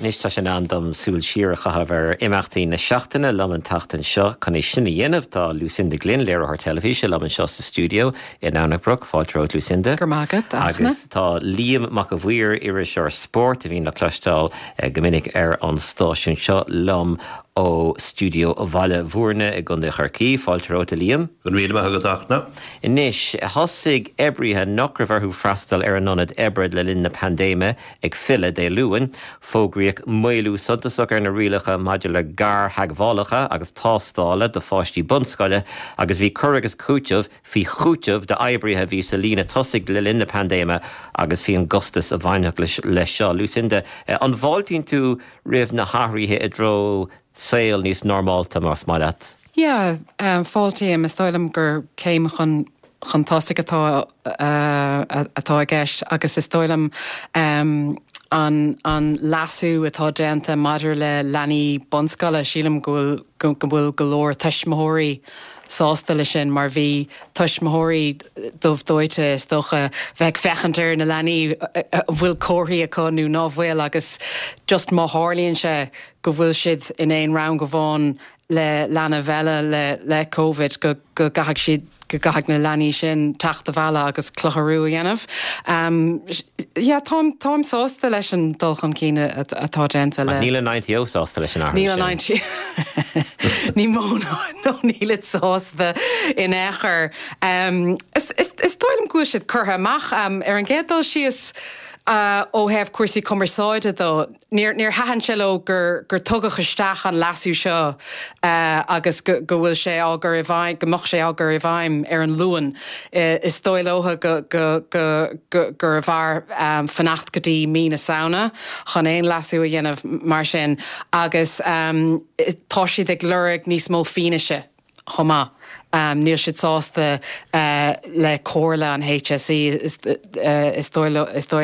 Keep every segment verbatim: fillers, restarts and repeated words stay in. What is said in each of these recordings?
Anois tá sé in am dom súil siar a chaitheamh ar imeachtaí na seachtaine. Liom an tseachtain seo chun é sin a dhéanamh tá Lucinda Glynn, léiritheoir teilifíse, liom anseo sa stiúideo in Anbrook. Fáilte romhat, Lucinda. Gur magat. Agus tá Liam Mac a Bhuir, iriseoir spóirt a bhíonn le cloisteáil eh, go minic ar an stáisiún seo, liom ó stiúideo Bhaile Bhúirne i gContae Chorcaí. Fáilte romhat, Liam. Go raibh míle maith agat, a Fhachtna. Anois thosaigh oibrithe nach raibh orthu freastal ar an ionad oibre le linn na paindéime ag filleadh Dé Luain. Fógraíodh maolú suntasach ar na rialacha maidir le gartheagmhálacha agus tástála do pháistí bunscoile agus bhí cur agus cúiteamh faoi chúiteamh d'oibrithe a bhí sa líne tosaigh le linn na paindéime agus faoin gcostas a bhainfeadh leis seo. Lucinda, an bhfáiltíonn tú roimh na hathruithe i dtreo saol níos normálta más maith leat? Yeah, um, fáiltím. Is dóigh liom gur céim chun chun tosaigh atá uh, atá i gceist agus is dóigh liom um, an, an leasú atá déanta maidir le leanaí bunscoile, sílim go bhfuil go bhfuil go leor tuismitheoirí sásta le sin mar bhí tuismitheoirí dubh dóite is dócha bheith féachaint ar na leanaí bhfuil comharthaí acu nó ná bhfuil agus just má tharlaíonn sé go bhfuil siad in aon rang amháin le leanbh eile le le COVID go go gcaithfidh siad go gcaithfidh na leanaí sin teacht abhaile agus clutharú a dhéanamh. Um, yeah, táim táim sásta leis an dul chun cinn atá déanta le. Níl an I N T O sásta leis an athrú. Níl an I N T Ní mó nó níl sásta in aon chor. Um, is, is, is dóigh liom go bhfuil siad curtha amach um, ar an gcéad dul síos uh, ó thaobh cúrsaí cumarsáide dó. Níor níor thaitin sé leo gur gur tugadh isteach an leasú seo uh, agus go, go bhfuil sé á chur i bhfeidhm go mbeadh sé á chur i bhfeidhm ar an Luan. Uh, is dóigh leo go, go, go, go, gurbh fhearr um, fanacht go dtí mí na Samhna chun aon leasú a dhéanamh mar sin agus um, tá siad ag lorg níos mó fianaise chomh maith. Um, níl siad sásta uh, le comhairle an H S E is, uh, is dóigh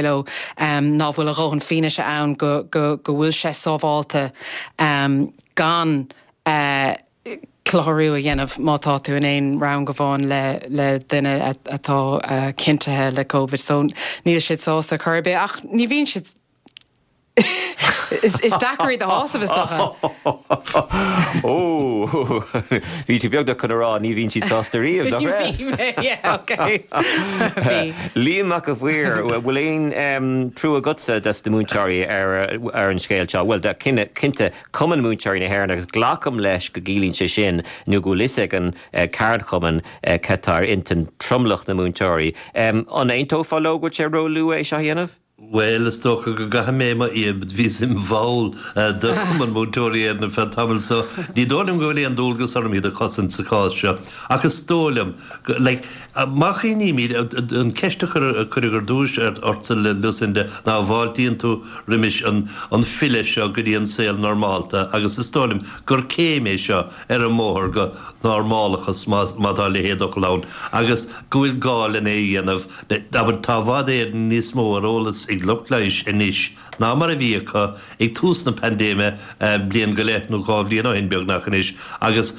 leo um, ná bhfuil a dhóthain fianaise ann go, go, go bhfuil sé sábháilte um, gan uh, clutharú a dhéanamh má tá tú in aon rang amháin le, le duine atá uh, cinntithe le COVID. So níl siad sásta chor ar bith ach ní bhíonn siad Is, is deacair a shásamh is dócha. Ó bhí tú beagnach chun rá ní bhíonn siad sásta riamh. Liam Mac a Bhuir, bhfuil aon trua agatsa dos na múinteoirí ar ar an scéal seo, Well cinne cinnte Cumann Múinteoirí na hÉireann agus glacaim leis go gciallaíonn sé sin nó go bhfuil ag an ceardchumann cad tá ar intinn tromlach na múinteoirí. An aontófá leo go sé róluath é seo a dhéanamh? Well, is dócha go gcaithfidh mé mar bhíos im bhall de Chumann Múinteoirí ar feadh tamaill, so ní dóigh liom go bhfuil aon dualgas orm iad a chosaint sa chás seo ach is dóigh liom má chuimhnímid an ceist a cuireadh ar dtús ortsa, Lucinda, ná bhfáiltíonn tú roimis an an filleadh seo go dtí an saol normálta agus is dóigh liom gur céim é seo ar an mbóthar go normálachas má tá leithéid d'fhocal ann agus go bhfuil gá lena dhéanamh aber tá i bhfad Éireann níos mó ar eolas ag lucht leighis anois ná mar a bhí acu ag tús na paindéime bliain go leith nó dhá bhliain ó shin beagnach anois agus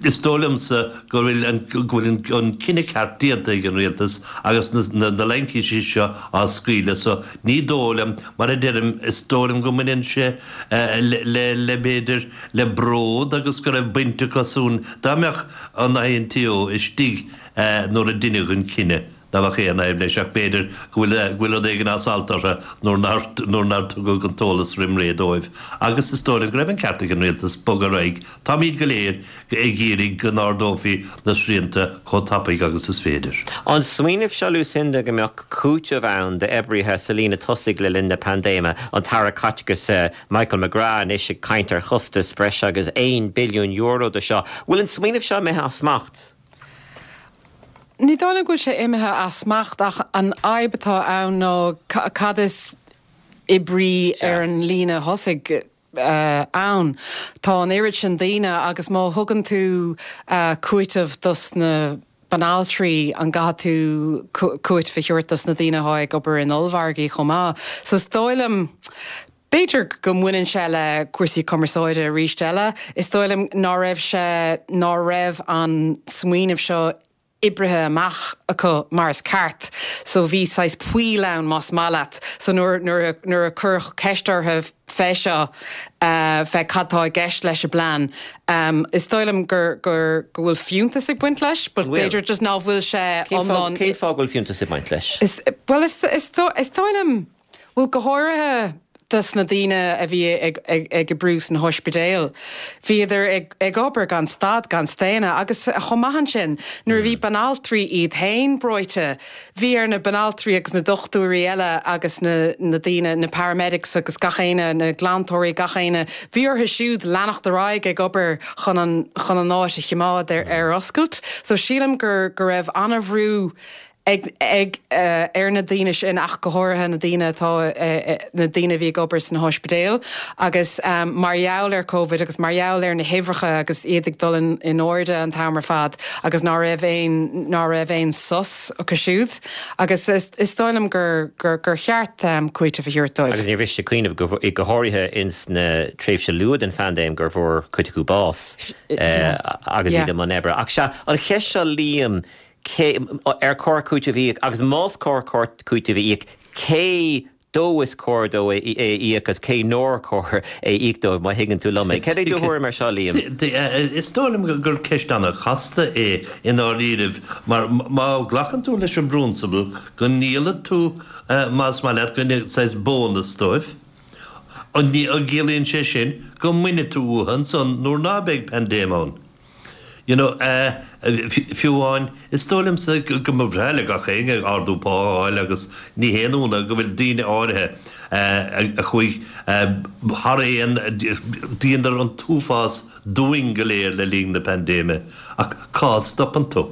is dóigh liomsa go bhfuil an go bhfuil an cinneadh ceart déanta ag an rialtas agus na na laincísí seo á scaoileadh, so ní dóigh liom, mar a deirim, is dóigh liom go mbaineann sé le le b'fhéidir le bród agus go raibh baint acu san dá mbeadh an I N T O istigh nuair a deineadh an cinneadh. Ná bheadh aon fhadhb leis ach b'fhéidir go bhfuil go bhfuil rud éigin as alt orthu nuair nuair nár tugadh an t-eolas roimh ré dóibh. Agus is dóigh liom go raibh an ceart ag an rialtas bogadh ar aghaidh. Táimid go léir ag iarraidh go n-ardófaí na srianta chomh tapaidh agus is féidir. An smaoineamh seo, Lucinda, go mbeadh cúiteamh ann d'oibrithe sa líne tosaigh le linn na paindéime, an tAire Caiteachais Michael McGrath anois ag caint ar chostas breis agus aon billiún euro de seo. Bhfuil an smaoineamh seo imithe as smacht? Ní dóigh go bhfuil sé imithe as smacht ach an fhadhb atá ann ná cad is oibrí ar an líne thosaigh uh, ann. Tá an oiread sin daoine agus má thugann tú uh, cúiteamh dos na banaltraí, an gcaithfidh tú cúiteamh a thabhairt dos na daoine atá ag obair in ollmhargaí chomh maith. So is dóigh liom b'fhéidir go mbaineann sé le cúrsaí cumarsáide arís eile. Is dóigh liom ná raibh sé ná raibh an smaoineamh seo oibrithe amach acu mar is ceart, so bhí sais poill ann más maith leat. So nuair nuair nuair a cuireadh ceist orthu fé seo uh, fé cad tá i gceist leis an bplean. Um, is dóigh liom gur gur go bhfuil fiúntas ag baint leis, but b'fhéidir just ná bhfuil sé iomlán. Cén fáth go bhfuil fiúntas ag baint leis? Is, well is, is, is dóigh liom bhfuil go háirithe dos na daoine a bhí ag, ag, ag oibriú san ospidéal. Bhíodar ag, ag obair gan stad gan staonadh agus chomh maith ansin nuair a bhí banaltraí iad féin breoite, bhí ar na banaltraí agus na dochtúirí eile agus na, na daoine na paramedics agus gach éinne na glantóirí gach éinne, bhí orthu siúd leanacht ar aghaidh ag obair chun an, chun an áit a choimeád ar, ar oscailt. So sílim gur go raibh an-bhrú ag ag uh, ar na daoine sin ach go háirithe na daoine atá uh, na daoine bhí ag obair san ospidéal agus um, mar gheall ar COVID agus mar gheall ar na huimhreacha agus iad ag dul in, in airde an t-am ar fad agus ná raibh aon ná raibh aon sos acu siúd agus is, is dóigh liom gur, gur, gur cheart um, cúiteamh a thabhairt dóibh. Agus níor mhiste cuimhneamh go, go háirithe ins na tréimhse luath den phaindéim gur bhfuair cuid acu bás uh, agus iad i mbun oibre. Ach sea an cheist seo Liam cé ar chóir cúiteamh a íoc agus más cóir cúiteamh a íoc cé dó is cóir dó é íoc agus cé nár chóir é íoc dóibh má thuigeann tú liom é. Cad é do thuairim air seo Liam? Is dóigh liom gur ceist an-chasta é i ndáiríribh mar má ghlacann tú leis an bprionsabal go ndíolann tú más maith leat go saghas bónas dóibh. An gciallaíonn sé sin go mbainfidh tú uathu ansan nuair ná beidh paindéim ann. You know, uh, fiú amháin is dóigh liomsa go mba bhreá le gach éinne ardú pá a fháil agus ní haon ionadh go bhfuil daoine áirithe a chuaigh thar aon dheineadar an t-uafás dúinn go léir le linn na paindéime ach cá stopann tú?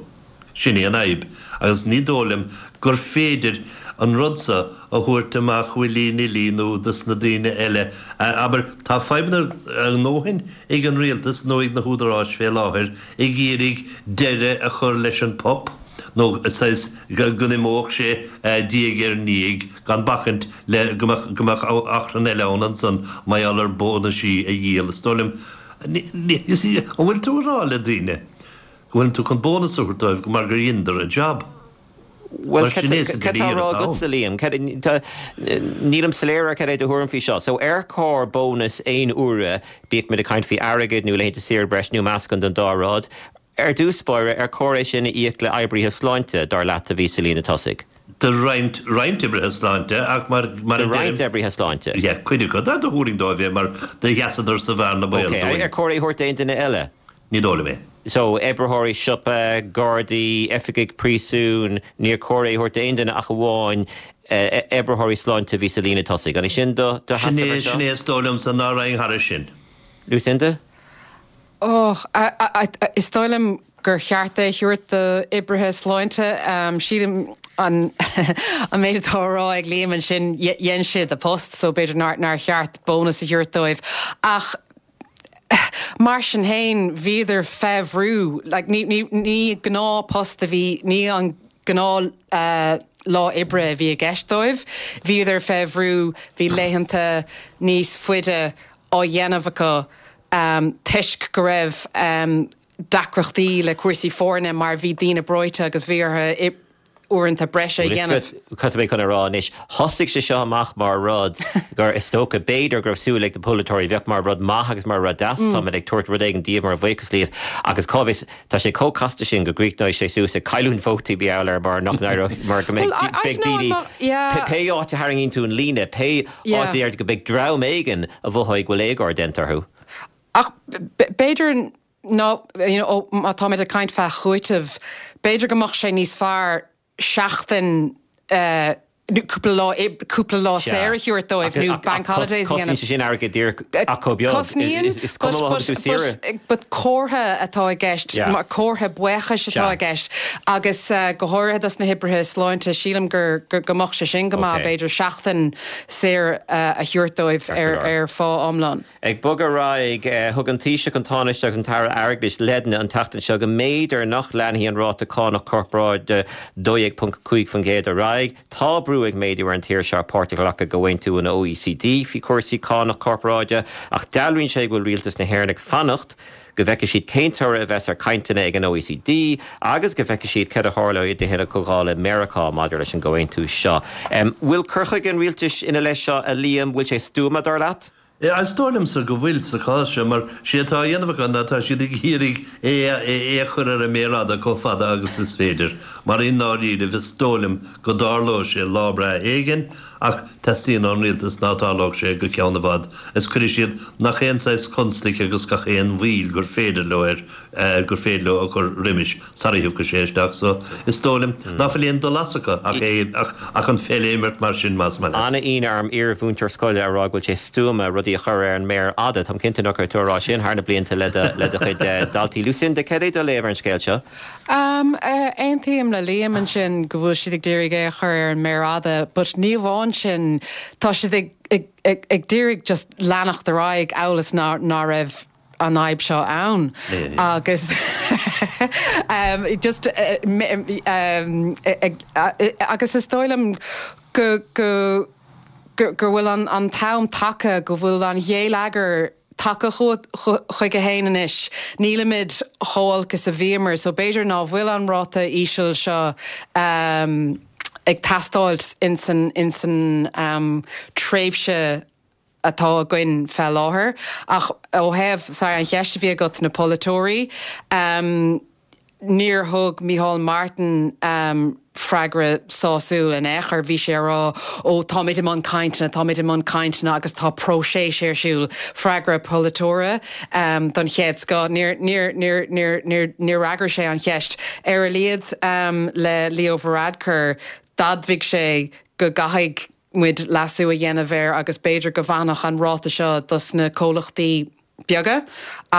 Sin é an fhadhb agus ní dóigh liom gur féidir an rud seo a thabhairt amach willy-nilly nó dos na daoine eile. Abair, tá fadhbanna a ndóthain ag an rialtas nó ag na húdaráis fé láthair ag iarraidh deireadh a chur leis an pop nó saghas go n-imeodh sé diaidh ar ndiaidh gan bacaint le go mbeadh achrann eile ann ansan mar gheall ar bónaisí a dhíol. Is dóigh liom, an bhfuil tú ag rá le daoine go bhfuil tú chun bónas a thabhairt dóibh mar gur dheineadar a jab? Well cad tá á rá agatsa Liam nílim soiléir ar cad é do thuairim faoi seo, so ar chóir bónas aon uaire bíodh muid ag caint faoi airgead nó laethanta saoire breis nó meascán den dá rud, ar dtús báire ar chóir é sin a íoc le oibrithe sláinte dar leat a bhí sa líne tosaigh. Do roinnt roinnt oibrithe sláinte ach mar mar Do roinnt oibrithe sláinte. Yeah, cuid acu do thabharfainn dóibh é mar do sheasadar sa bhearna baol Okay, dúinn. ar chóir é a thabhairt d'aon duine eile? Ní dóigh liom é. So oibritheoirí siopa, gardaí, oifigigh príosúin, níor chóir é a thabhairt d'aon duine ach amháin oibritheoirí sláinte a bhí sa líne tosaigh. An é sin do do Sin sheasamh é ar seo? sin é is dóigh liomsa ná raghainn thairis sin. Lucinda? Oh, is dóigh liom gur cheart é a thabhairt d'oibrithe sláinte. Sílim an an méid atá á rá ag Liam ansin dhein siad a post, so b'fhéidir nár nár cheart bónas a thabhairt dóibh. Ach mar sin féin bhíodar fé bhrú, like, ní, ní, ní gnáthphost a bhí, ní an gnáth uh, lá oibre a bhí i gceist dóibh. Bhíodar fé bhrú, bhí laethanta níos faide á dhéanamh acu um, toisc go raibh um, deacrachtaí le cúrsaí foirne mar bhí daoine breoite agus bhí orthu uaireanta breise a dhéanamh. Cad mé chun a rá anois thosaigh sé seo amach mar rud gur is dócha b'fhéidir go raibh súil ag na polaiteoirí bheadh mar rud maith agus mar rud deas mm. Táimid ag tabhairt rud éigin daoibh mar bhuíochas libh agus cá bhfios tá sé chomh casta sin go gcríochnóidh sé suas ag cailliúint vótaí b'fhéidir mar nach mar go mbeidh daoine pé áit a tharraingíonn tú an líne pé áit ar go mbeidh dream éigin a mhothóidh go bhfuil éagóir déanta orthu. Ach b'fhéidir nó you know, má táimid ag caint fá chúiteamh, b'fhéidir go mbeadh sé níos fearr seachtain uh, cúpla lá cúpla lá saor a thabhairt dóibh nó bank holidays a dhéanamh. Cosnaíonn sé sin airgead díreach ach chomh beag. Cosnaíonn Is cuma má thugann tú saoire. But comhartha atá i gceist Yeah. comhartha buíochais atá Sea. i gceist agus uh, go háirithe dos na hoibrithe sláinte sílim gur gur go mbeadh sé sin go maith Okay. b'fhéidir seachtain saor uh, a thabhairt dóibh ar ar phá iomlán. Ag bogadh ar aghaidh eh, thug an Taoiseach an Tánaiste agus an tAire Airgeadais leideanna an tseachtain seo go mb'fhéidir nach leanfaidh an ráta cánach corparáide dó dhéag ponc cúig faoin gcéad ar aghaidh. Tá brú brú ag méadú ar an tír seo páirt a ghlacadh i gcomhaontú an OECD faoi chúrsaí cánach corparáide, ach dealraíonn sé go bhfuil rialtas na hÉireann ag fanacht go bhfeicfidh siad cén toradh a bheas ar chainteanna ag an OECD agus go bhfeicfidh siad céard a tharlóidh i dTithe na Comhdhála i Meiriceá maidir leis an gcomhaontú seo. Bhfuil cur chuige an rialtais ina leith seo, a Liam, bhfuil sé stuama dar leat? Is dóigh liomsa go bhfuil sa chás seo, mar sé atá á dhéanamh acu ná tá siad ag iarraidh é é a chur ar an méar fhada chomh fada agus is féidir, mar i ndáiríribh is dóigh liom go dtarlóidh sé lá breá éigin ach teastaíonn ón rialtas ná tarlódh sé go ceann i bhfad is cuirfidh siad nach aon saghas constaic agus gach aon mhoill gur féidir leo air gur féidir leo a chur roimis sara thiocfaidh sé isteach so is dóigh liom ná fuil aon dul as acu ach é ach an pheil a imirt mar sin más maith leat. An-ionadh orm iar-mhúinteoir scoile a rá go bhfuil sé stuama rudaí a chur ar an méar fhada. Táim cinnte nach raibh tú a rá sin thar na blianta le do le do chuid daltaí. Lucinda, cad é do léamh ar an scéal seo? Um, Aontaím le Liam ansin go bhfuil siad ag d'iarraidh é a chur ar an méar fhada, but ní amháin sin tá siad ag ag ag ag d'iarraidh just leanacht ar aghaidh amhail is ná ná raibh an fhadhb seo ann agus um, just uh, um, agus is dóigh liom go go go go bhfuil an an t-am tagtha go bhfuil an ghéilleagar tagtha chuige féin anois. Nílimid chomh holc is a bhíomar, so b'fhéidir ná bhfuil an ráta íseal seo um, ag teastáil insan insan um, tréimhse atá againn fé láthair ach ó thaobh sa an cheist a bhí agat na polaiteoirí um, níor thug Micheál Martin um, freagra sásúil in aon chor bhí sé rá ó táimid i mbun cainteanna táimid i mbun cainteanna agus tá próiseas ar siúl freagra polaiteora um, don chéad scoth níor níor níor níor níor níor fhreagair sé an cheist ar a laghad um, le Leo Varadkar d'admhaigh sé go gcaithfidh muid leasú a dhéanamh air agus b'fhéidir go bhfanfadh an ráta seo dos na comhlachtaí beaga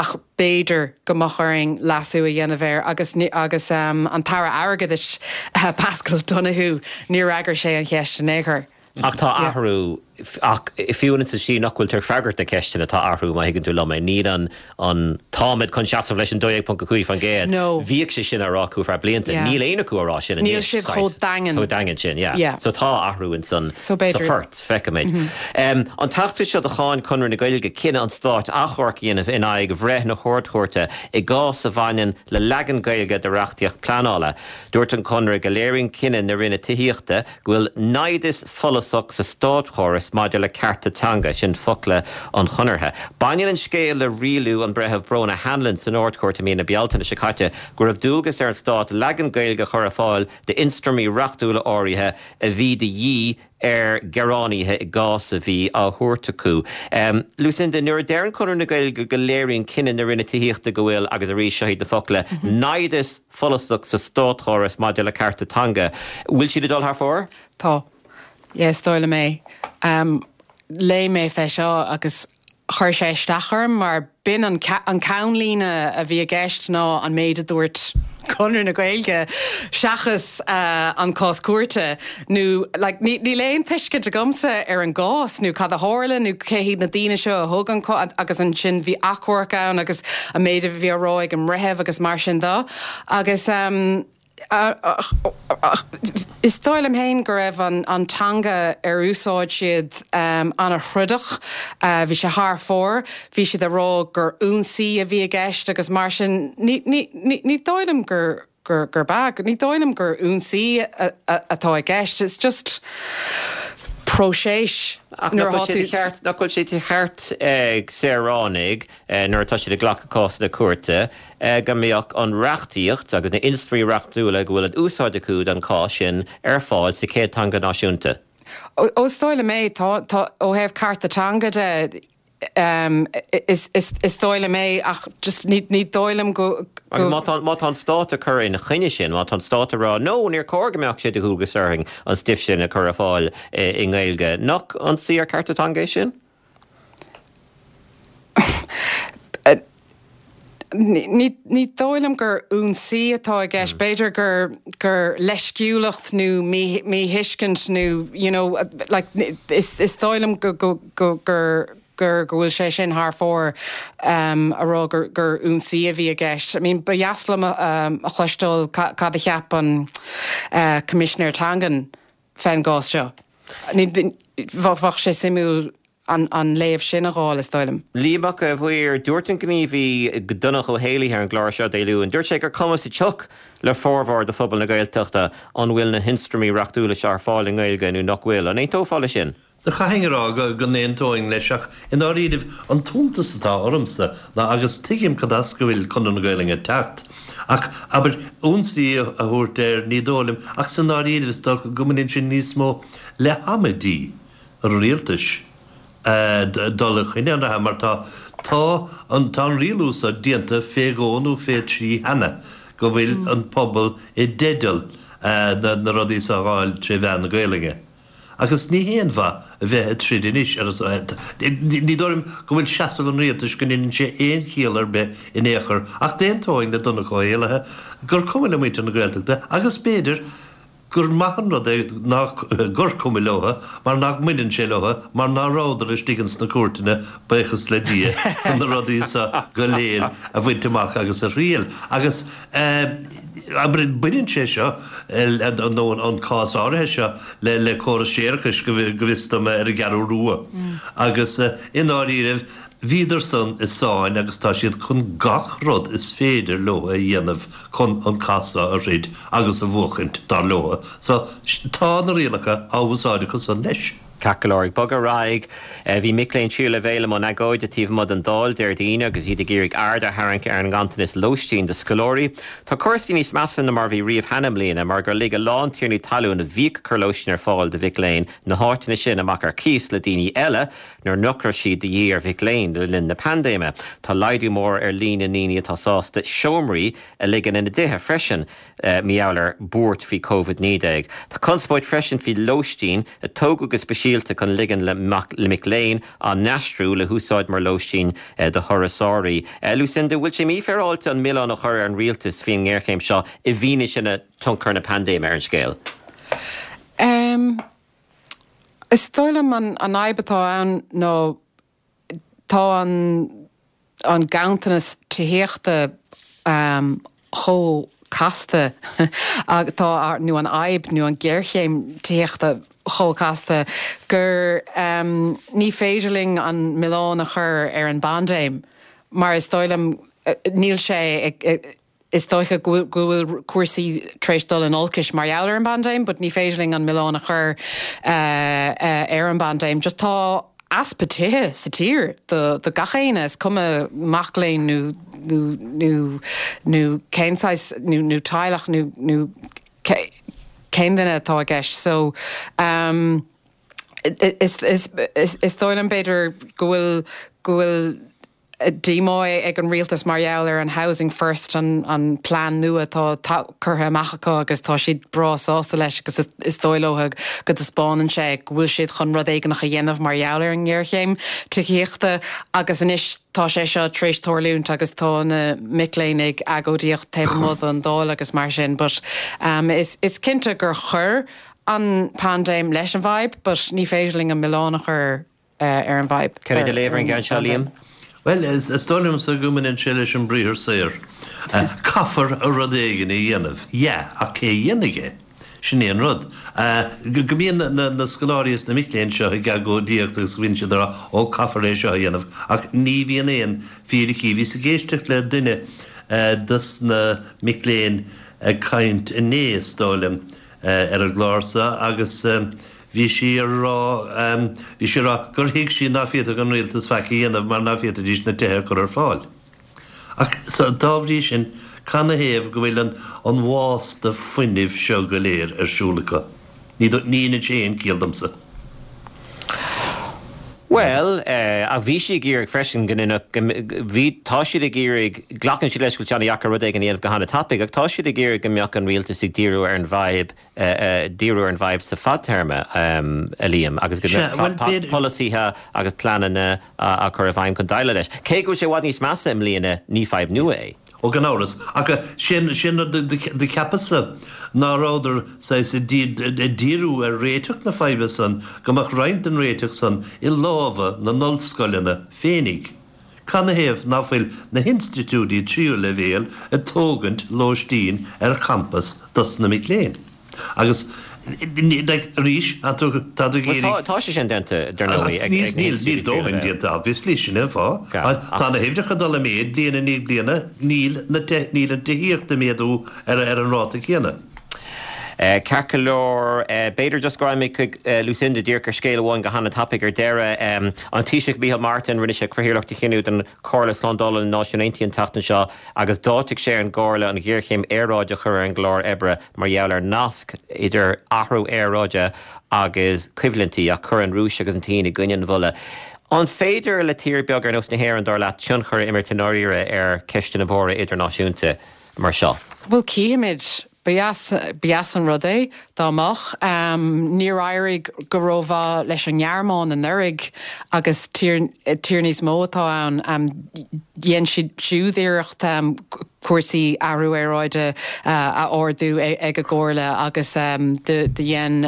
ach b'fhéidir go mbeadh orainn leasú a dhéanamh air agus agus um, an tAire Airgeadais uh, Pascal Donoghue níor fhreagair sé an cheist in aon chor. Ach tá athrú ach fiú sa sí nach bhfuil tar freagairt na ceisteanna tá athrú má thuigeann tú liom é níl an an táimid chun seasamh leis an dó dhéag ponc a cúig faoin gcéad. Bhíodh sé sin á rá acu feadh blianta. Níl aon acu á rá sin Níl siad chomh daingean. Chomh daingean sin, yeah. So tá athrú in san sa phort feicimid. Um, an tseachtain seo do cháin Conradh na Gaeilge cinneadh an stáit achomharc a dhéanamh in aghaidh bhreith na hArd-Chúirte i gcás a bhaineann le leagan Gaeilge de reachtaíocht pleanála. Dúirt an Conradh go léiríonn cinneadh na Roinne Tithíochta go bhfuil naimhdeas follasach sa státchóras maidir le cearta teanga sin focla an Chonartha. Baineann an scéal le rialú an Bhreithimh Bronagh Hanlon san Ardchúirt i mí na Bealtaine seo caite go raibh dualgas ar an stát leagan Gaeilge a chur ar fáil d'ionstraimí reachtúla áirithe a bhí de dhíth ar ghearánaithe i gcás a bhí á thabhairt acu. Um, Lucinda, nuair a deireann Conradh na Gaeilge go léiríonn cinneadh na Roinne Tithíochta go bhfuil agus arís seo iad na focla mm -hmm. naimhdeas follasach sa státchóras maidir le cearta teanga. Bhfuil siad ag dul thar fóir? Tá. Yes, dóigh liom é. Um, léigh mé fé seo agus chuir sé isteach orm mar b'in an, an ceannlíne a bhí i gceist ná an méid a dúirt Conradh na Gaeilge seachas uh, an cás cúirte nó like, níl aon tuiscint agamsa ar an gcás nó cad a tharla nó cé hiad na daoine seo a thug an agus ansin bhí achomharc ann agus an méid a bhí á rá ag an mbreitheamh agus mar sin de agus um, Is dóigh liom féin go raibh an, an teanga ar úsáid siad um, an-throdach, uh, bhí sé thar fóir, bhí siad ag rá gur ionsaí a bhí i gceist agus mar sin ní, ní, ní, ní dóigh liom gur gur gur bag, ní dóigh liom gur ionsaí atá i gceist. It's just próiseas. Nach bhfuil sé de cheart ag saoránaigh nuair atá siad ag glacadh cásanna cúirte go mbeadh an reachtaíocht agus na hionstraimí reachtúla go bhfuil an úsáid acu don chás sin ar fáil sa chéad teanga náisiúnta. Ó is dóigh liom é tá ó thaobh cearta teanga de um, is, is, is dóigh liom é ach just ní, ní dóigh liom go, go má tá má tá an stát ag cur ina choinne sin, má tá an stát ag rá no níor chóir go mbeadh sé de dhualgas orainn an stuif sin a chur ar fáil i nGaeilge. Nach ionsaí ar cearta teanga é sin? Ní ní dóigh liom gur ionsaí atá i gceist, b'fhéidir gur gur leisciúlacht nó míthuiscint nó you know like is is dóigh liom go go go gur gur go bhfuil sé sin thar fóir um, a rá gur gur ionsaí a bhí i gceist. I mean ba dheas liom um, a chloisteáil cad a cheap an uh, Coimisinéir Teangan fén gcás seo. Bheadh sé suimiúil an, an léamh sin a fháil is dóigh liom. Liam Mac a' Mhaoir, dúirt an gníomhaí Donncha Ó hÉalaithe ar an gclár seo Dé Luain, dúirt sé gur cuma sa tsioc le formhór de phobal na Gaeltachta an bhfuil na hionstraimí reachtúla seo ar fáil i nGaeilge nó nach bhfuil. An aontófá leis sin? Do chaithfinn a rá go go n-aontóinn leis ach i ndáiríribh an t-iontas atá ormsa ná agus tuigim cad as go bhfuil Conradh na Gaelainne ag teacht ach abair ionsaí a thabhairt air ní dóigh liom ach sa ndáiríribh is dócha go mbaineann sin níos mó le hamaidí an rialtais dul i gcoinne an reatha mar tá tá an tá an rialú so déanta fé dhó nó fé trí cheana go bhfuil an pobal i dteideal na na rudaí so a fháil tré mheán na Gaelainne. Agus ní haon mhaith a bheith ag troid anois ar a son. Ní dóigh liom go bhfuil seasamh an rialtais go ndeineann sé aon chiall ar bith in aon chor ach d'aontóinn le Donncha Ó hÉallaithe gur cuma le muintir na Gaeltachta agus b'fhéidir gur maith an rud é nach gur cuma leo mar nach mbaineann sé leo mar ná rabhadar istigh ins na cúirteanna, buíochas le Dia, chun na rudaí seo go léir a bhaint amach agus a thriail. Agus. Abair, baineann sé seo, nó an cás áirithe seo, le córas séarachais, go bhfios dom, ar an gCeathrú Rua. Agus i ndáiríribh, bhíodar san i sáinn agus tá siad chun gach rud is féidir leo a dhéanamh chun an cath seo a throid agus a bhuachaint, dar leo. So, tá na rialacha á úsáid acu san leis. Ceart go leor, ag bogadh ar aghaidh, bhí mic léinn tríú leibhéal i mbun agóide taobh amuigh den Dáil Déardaoin agus iad ag iarraidh aird a tharraingt ar an nganntanas lóistín do scoláirí. Tá cúrsaí níos measa ná mar a bhí riamh cheana i mbliana mar gur lig a lán tiarnaí talún a bhíodh ag cur lóistín ar fáil do mhic léinn na háiteanna sin amach ar cíos le daoine eile nuair nach raibh siad de dhíth ar mhic léinn le linn na paindéime. Tá laghdú mór ar líon na ndaoine atá sásta seomraí a ligean ina dtithe freisin. Mar gheall ar buairt faoi Covid naoi déag. Tá conspóid freisin faoi lóistín a tógadh go speisialta chun ligean le mic léinn á n-aistriú le húsáid mar lóistín do thurasóirí. Lucinda, bhfuil sé mífhéaráilte an milleán a chur ar an rialtas faoin ngéarchéim seo i bhfianaise na tionchar na paindéime ar an scéal? Is dóigh liom an fhadhb atá ann ná tá an an ganntanas tithíochta chomh casta tá nó an fhadhb nó an ghéarchéim tithíochta chomh casta gur ní féidir linn an milleán a chur ar an bpaindéim mar is dóigh liom níl sé ag is dóiche go bhfuil cúrsaí tar éis dul in olcais mar gheall ar an bpaindéim, but ní féidir linn an milleán a chur ar an bpaindéim. Just tá easpa tithe sa tír do do gach éinne, is cuma mac léinn nó nó nó nó cén saghas nó nó teaghlach nó nó cén duine atá i gceist. So um, is is is is dóigh liom b'fhéidir go bhfuil go bhfuil díomá ag an rialtas mar gheall ar an Housing First, an plean nua atá curtha amach acu agus tá siad breá sásta leis agus is dóigh leo go dtaispeánann sé go bhfuil siad chun rud éigineach a dhéanamh mar gheall ar an ngéarchéim tithíochta agus anois tá sé seo tar éis tarlúint agus tá na mic léinn ag agóidíocht taobh amuigh den Dáil agus mar sin but is cinnte gur chuir an paindéim leis an bhfadhb but ní féidir linn an milleán a chur ar an bhfadhb. Cad é do léamh ar an gceann seo, Liam? Bhuel, is dóigh liomsa go mbaineann sé leis an briathar saor. Caithfear rud éigin a dhéanamh. Yeah, ach cé a dhéanfaidh é? Sin é an rud. Go mbíonn na scoláirí is na mic léinn seo ag agóidíocht agus go mbíonn siad ag rá, ó, caithfear é seo a dhéanamh, ach ní bhíonn aon fíricí. Bhíos ag éisteacht le duine dos na mic léinn ag caint inné, is dóigh liom, ar an gclár seo agus Bhí sí a rá, bhí sí a rá gur thuig sí ná féadfadh an rialtas faic a dhéanamh mar ná féadfaidís na tithe a chur ar fáil. Ach so, dá bhrí sin, canathaobh go bhfuil an, an bhásta fuinnimh seo go léir ar siúl acu? Ní, ní dheineann sé aon ciall domsa. Bhuel, ach bhí sí ag iarraidh freisin go ndéanfadh, bhí, tá siad ag iarraidh, glacann siad leis go bhfuil sé an-dheacair rud éigin a dhéanamh go han-tapaidh, ach tá siad ag iarraidh go mbeadh an rialtas ag díriú ar an bhfadhb, díriú ar an bhfadhb sa fadtéarma, a Liam, agus go mbeadh polasaithe agus pleananna á gcur i bhfeidhm chun déileáil leis. Cé go bhfuil sé i bhfad níos measa i mbliana, ní fadhb nua é. Ó gan amhras. Ach sin sin rud do cheapas-sa ná rabhadar saghas ag díriú ar réiteach na faidhbe san, go mbeadh roinnt den réiteach san i lámha na n-ollscoileanna féinig. Canathaobh ná fuil na hinstitiúidí tríú leibhéal ag tógaint lóistín ar champas dos na mic léinn? Agus Arís, tá tú ag iarraidh. Tá sé sin déanta, dar ndóigh, ag na Níl, níl dóthain déanta, obviously, sin é an fáth. Tá na huimhreacha ag dul i méid bliain i ndiaidh bliana, níl na, níl an tithíocht ag méadú ar an ráta céanna. Ceart go leor, b'fhéidir just go raghfaidh mé chuig Lucinda díreach ar scéal amháin go han-tapaidh ar deireadh. An Taoiseach Micheál Martin, rinne sé cathaoirleacht a chinneadh don Chomhairle Slándála na Náisiún Aontaithe an tseachtain seo agus d'áitigh sé ar an gComhairle an ghéarchéim aeráide a chur ar an gclár oibre mar gheall ar nasc idir athrú aeráide agus coimhlintí ach chuir an Rúis agus an tSín i gcoinne an mholadh. An féidir le tír beag ar nós na hÉireann, dar leat, tionchar a imirt i ndáiríre ar cheisteanna mhóra idirnáisiúnta mar seo? Bhuel, cífimid. Ba dheas, ba dheas an rud é dá mbeadh. Níor éirigh go rómhaith leis an nGearmáin anuraidh agus tír, tír níos mó atá ann. Dhein siad siúd iarracht cúrsaí athrú aeráide a ardú ag an gComhairle agus do dhein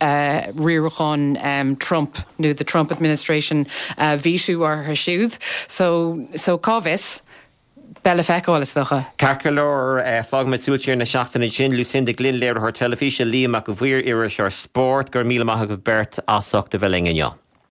riarachán Trump nó the Trump administration veto orthu siúd. So, so cá bhfios? Beidh le feiceáil, is dócha. Ceart go leor, fágfaimid súil siar na seachtaine ansin. Lucinda Glynn, léiritheoir teilifíse, Liam Mac an Mhaoir, iriseoir spóirt, go raibh míle maith agaibh beirt as ucht a bheith linn inniu.